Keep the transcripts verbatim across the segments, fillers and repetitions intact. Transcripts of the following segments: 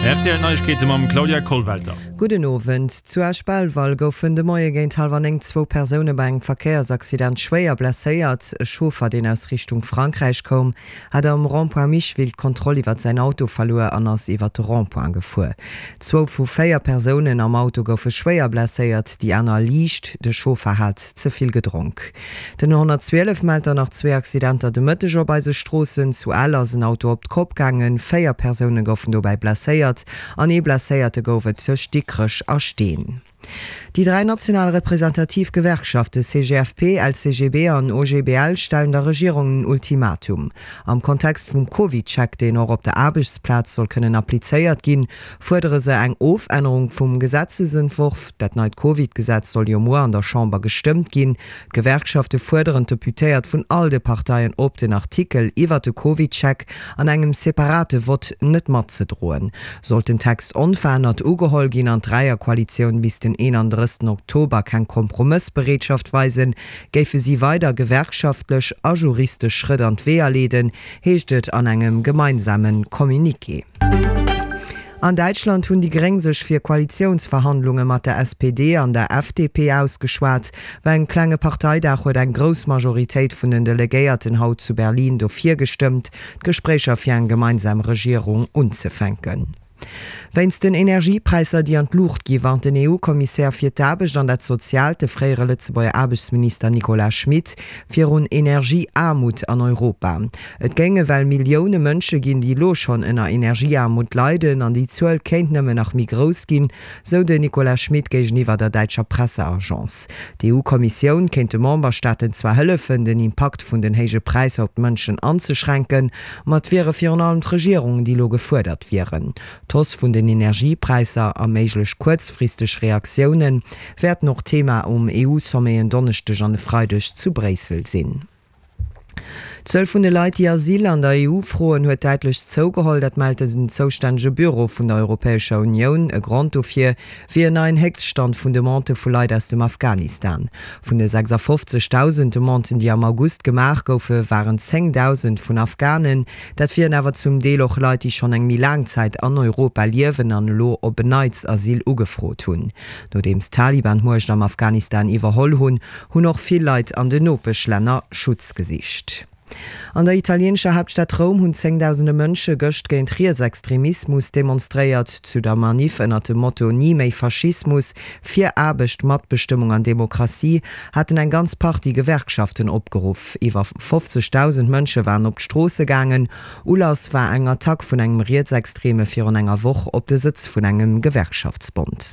Rtl Neiegkeete mam Claudia Kollwelter. Gudden Owend. Zu Esch-Belval goufen de Moie géint hallwer néng zwou Persoune bei engem Verkéiersaccident schwéier blesséiert. E Chauffer, deen aus Richtung Frankräich koum, hat am Rond-point Micheville d'Kontroll iwwert säin Auto verluer an ass iwwert de Rond-point gefuer. Zwou vu véier Persounen am Auto goufe schwéier blesséiert, déi aner liicht. De Chauffer hat ze vill gedronk. Den honnertzwielef mellt dann nach zwee Accidenter de Mëtteg op eise Stroossen. Zu Ell ass en Auto op d'Kopp gaangen, véier Persoune goufen dobäi blesséiert an ee Blesséierte gouf et tëscht Dikrech a Steen. Déi dräi national representativ Gewerkschafte C G F P, L C G B an O G B L stellen der Regierung en Ultimatum. Am Kontext vum CovidCheck, deen och op der Aarbechtsplaz soll kënnen applizéiert ginn, fuerdere se eng Ofännerung vum Gesetzesentworf. Dat neit Covid-Gesetz soll jo muer an der Chamber gestëmmt ginn. D'Gewerkschafte fuerderen d'Deputéiert vun all de Parteien op, den Artikel iwwert de CovidCheck an engem separate Vott net matzedroen. Sollt den Text onverännert ugeholl ginn an d'Dräierkoalitioun bis den eenandrëssegsten Oktober keng Kompromëssbereetschaft weisen, géife si weider gewerkschaftlech a juristesch Schrëtt an d'Weeër leeden, heescht et an engem gemeinsame Communiqué. An Däitschland hunn déi Gréng sech fir Koalitiounsverhandlunge mat der S P D an der F D P ausgeschwat. Bei engem klenge Parteidag huet eng grouss Majoritéit vun den Delegéierten haut zu Berlin dofir gestëmmt, d'Gespréicher fir eng gemeinsam Regierung unzefänken. Wéinst den Energiepräisser, déi an d'Luucht gi warnt den E U-Kommissär fir d'Aarbecht an dat Soziaalt, de fréiere Lëtzebuerger Aarbechtsminister Nicolas Schmit, virun Energieaarmut an Europa. Et géinge well Millioune Mënsche ginn, déi elo schonn ënner Energieaarmut leiden an déi Zuel kéint nëmmen nach méi grouss ginn, sou den Nicolas Schmit géigeniwwer der däitscher Presseagence. D'E U-Kommissioun kéint de Memberstaaten zwar hëllefen, den Impakt vun den héije Präisser op d'Mënschen anzeschränken, ma et wiere virun allem d'Regierungen, déi elo gefuerdert wieren. D'Hausse vun den Energiepräisser a méiglech kuerzfristeg Reaktioune wäerten och Thema um E U-Sommet en Donneschdeg an e Freideg zu Bréissel sinn. D'Zuel vun de Leit, déi Asyl an der E U froen, huet däitlech zougeholl. Dat mellt den zoustännege Büro vun der Europäescher Unioun. E Grond dofir wier en neien Héchststand vun Demandë vu Leit aus dem Afghanistan. Vun de sechsafofzegdausend Demanden, déi am August gemaach goufe, waren zéngdausend vun Afghanen. Dat wieren awer zum Deel och Leit, déi schonn eng méi laang Zäit an Europa liewen an elo op en Neits Asyl ugefrot hunn. Nodeems d'Taliban d'Muecht am Afghanistan iwwerholl hunn, hunn och vill Leit an den Nopeschlänner Schutz gesicht. An der italieenescher Haaptstad Roum hunn zéngdausende Mënsche gëscht géint Rietsextremismus demonstréiert. Zu der Maniff ënnert dem Motto Ni méi Faschismus, fir Aarbecht, Matbestëmmung an Demokratie haten eng ganz Partie Gewerkschaften opgeruff. Iwwer fofzegdausend Mënsche waren op d'Stroosse gaangen. Ulass war eng Attack vun engem Rietsextreme virun enger Woch op de Sëtz vun engem Gewerkschaftsbond.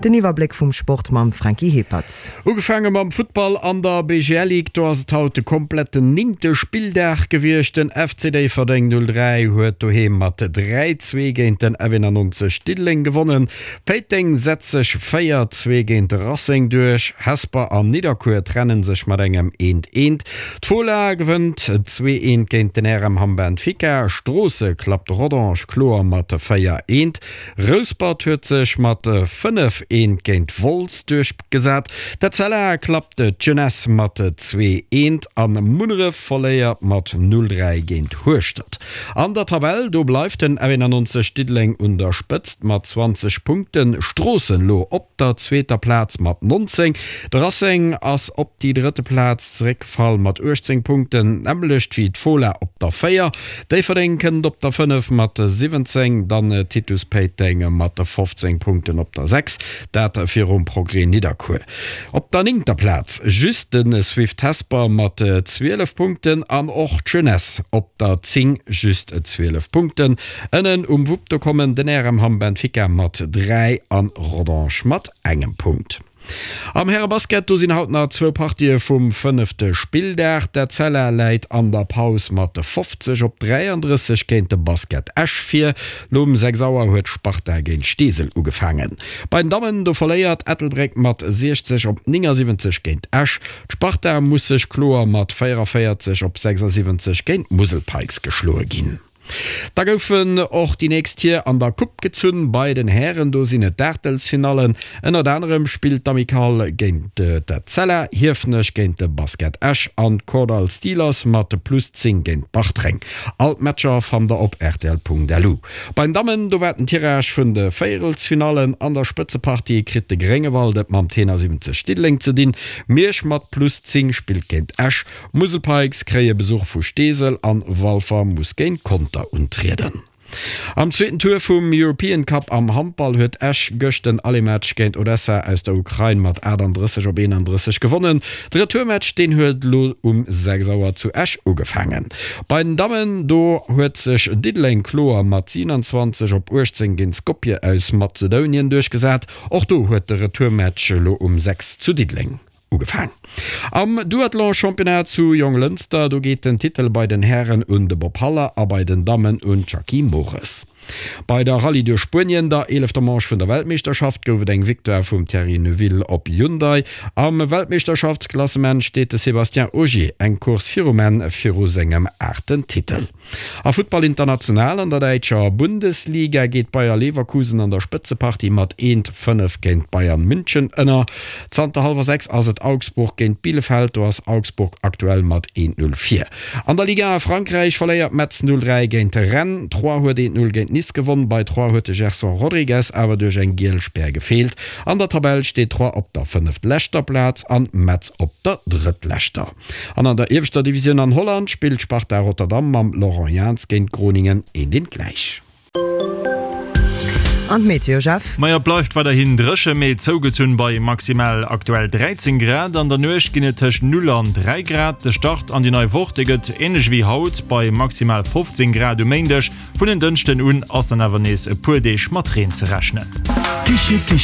Den Iwwerbléck vum Sport mam Franky Hippert. Ugefaange mam Futtball an der B G L Ligue, do ass et haut de kompletten néngte Spilldag gewiescht. Den F C Déifferdeng null dräi huet doheem mat dräi zwee géint den F eenannonzeg Diddeleng gewonnen. Péiteng setzt sech véier zwee géint de Racing duerch. Hesper an Nidderkuer trenne sech mat engem eent eent. D'Fola gewënnt zwee eent géint den R M Hamm Benfica. Stroossen klappt Rodange kloer mat véier eent. Rouspert huet sech mat fënnef eent géint Wolz duerchgesat. D'Etzella klappt d'Jeunesse mat zwee eent a Munneref verléiert mat null dräi géint Hueschtert. An der Tabell do bleift den F eenannonzeg Diddeleng un der Spëtzt mat zwanzeg Punkten. Stroossen lo op der zweeter Plaz mat nonzéng. De Racing ass op déi drëtte Plaz zeréckgefall mat uechtzéng Punkten, d'nämmlecht wéi d'Fola op der véier. Déifferdeng kënnt op der fënnef mat siwwenzéng, dann Titus Péiteng mat fofzéng Punkten op der sechs, dat virum Progrès Nidderkuer. Op der néngter Plaz just de Swift Hesper mat zwielef Punkten an och d'Jeunesse op der zéng just zwielef Punkten. Ënnen um Wupp do kommen den R M Hamm Benfica mat dräi an Rodange mat engem Punkt. Am Härebasket do sinn haut nach zwou Partië vum fënnefte Spilldag. D'Etzella läit an der Paus mat fofzeg op dräiandrësseg géint de Basket Esch vir. Lo um sechs Auer huet Sparta géint Steesel ugefaangen. Bei den Dammen do verléiert Ettelbréck mat siechzeg op néngasiwwenzeg géint Esch. D'Sparta muss sech kloer mat véieraféierzeg op sechsasiwwenzeg géint d'Musel Pikes geschloe ginn. Da goufen och déi nächst Tier an der Coupe gezunn. Bei den Hären, do sinn et d'Aachtelsfinallen. Ënnert anerem spillt d'Amicale géint d'Etzella, Hiefenech géint de Basket Esch an d'Kordall Steelers mat Plus zéng géint Bartreng. All d'Matcher fannt der op rtl.lu. Bei den Dammen, do war den Tirage vun de Véierelsfinallen. An der Spëtzepartie kritt de Gréngewald et mam Tenor siwwenzeg Diddeleng ze dinn. Miersch mat Plus zéng spillt géint Esch, Musel Pikes kréie Besuch vu Steesel an Walfer muss géint Conter untrieden. Am zweeten Tour vum European Cup am Handball huet Esch gëscht den Aller-Match géint Odessa aus der Ukrain mat achtandrësseg op eenandrësseg gewonnen. De Retourmatch, deen huet elo um sechs Auer zu Esch ugefaangen. Bei den Dammen, do huet sech Diddeleng kloer mat siewenundzwanzeg op uechtzéng géint Skopje aus Mazedounien duerchgesat. Och do huet de Retourmatch elo um sechs zu Diddeleng ugefaang. Am Duathlon-Championnat zu Jonglënster, do geet den Titel bei den Hären un de Bob Haller a bei den Dammen un d'Jackie Mores. Bei der Rallye duerch Spuenien, der eelefter Manche vun der Weltmeeschterschaft, gouf et eng Victoire vum Thierry Neuville op Hyundai. Am Weltmeeschterschaftsklassement steet de Sébastien Ogier eng Course virum Enn viru sengem aachten Titel. A Futtball international, An der däitscher Bundesliga geet Bayer Leverkusen an der Spëtzepartie mat eent, fënnef géint Bayern München ënner. Zanter hallwer sechs ass et Augsburg géint Bielefeld, do ass Augsburg aktuell mat eent, null vir. An der Ligue un a Frankräich verléiert Metz null, dräi géint Rennes, Troyes huet eent, null géint Nice gewonn. Bei Troyes huet de Gerson Rodrigues awer duerch eng giel Spär gefeelt. An der Tabell steet Troyes op der fënneftleschter Plaz an Metz op der drëttleschter. An an der ieweschter Divisioun an Holland spillt Sparta Rotterdam mam Laurent Jans géint Groningen eent eent gläich. An d'Meteo, Jeff? Majo, et bleift weiderhin dréche, mee zougezunn bei maximal aktuell dräizéng Grad. An der Nuecht ginn et tëscht null an dräi Grad. De Start an déi nei Woch, dee gëtt änlech wéi haut bei maximal fofzéng Grad um Méindeg. Vun en Dënschden un ass dann awer nees e puer Deeg mat Reen ze rechnen.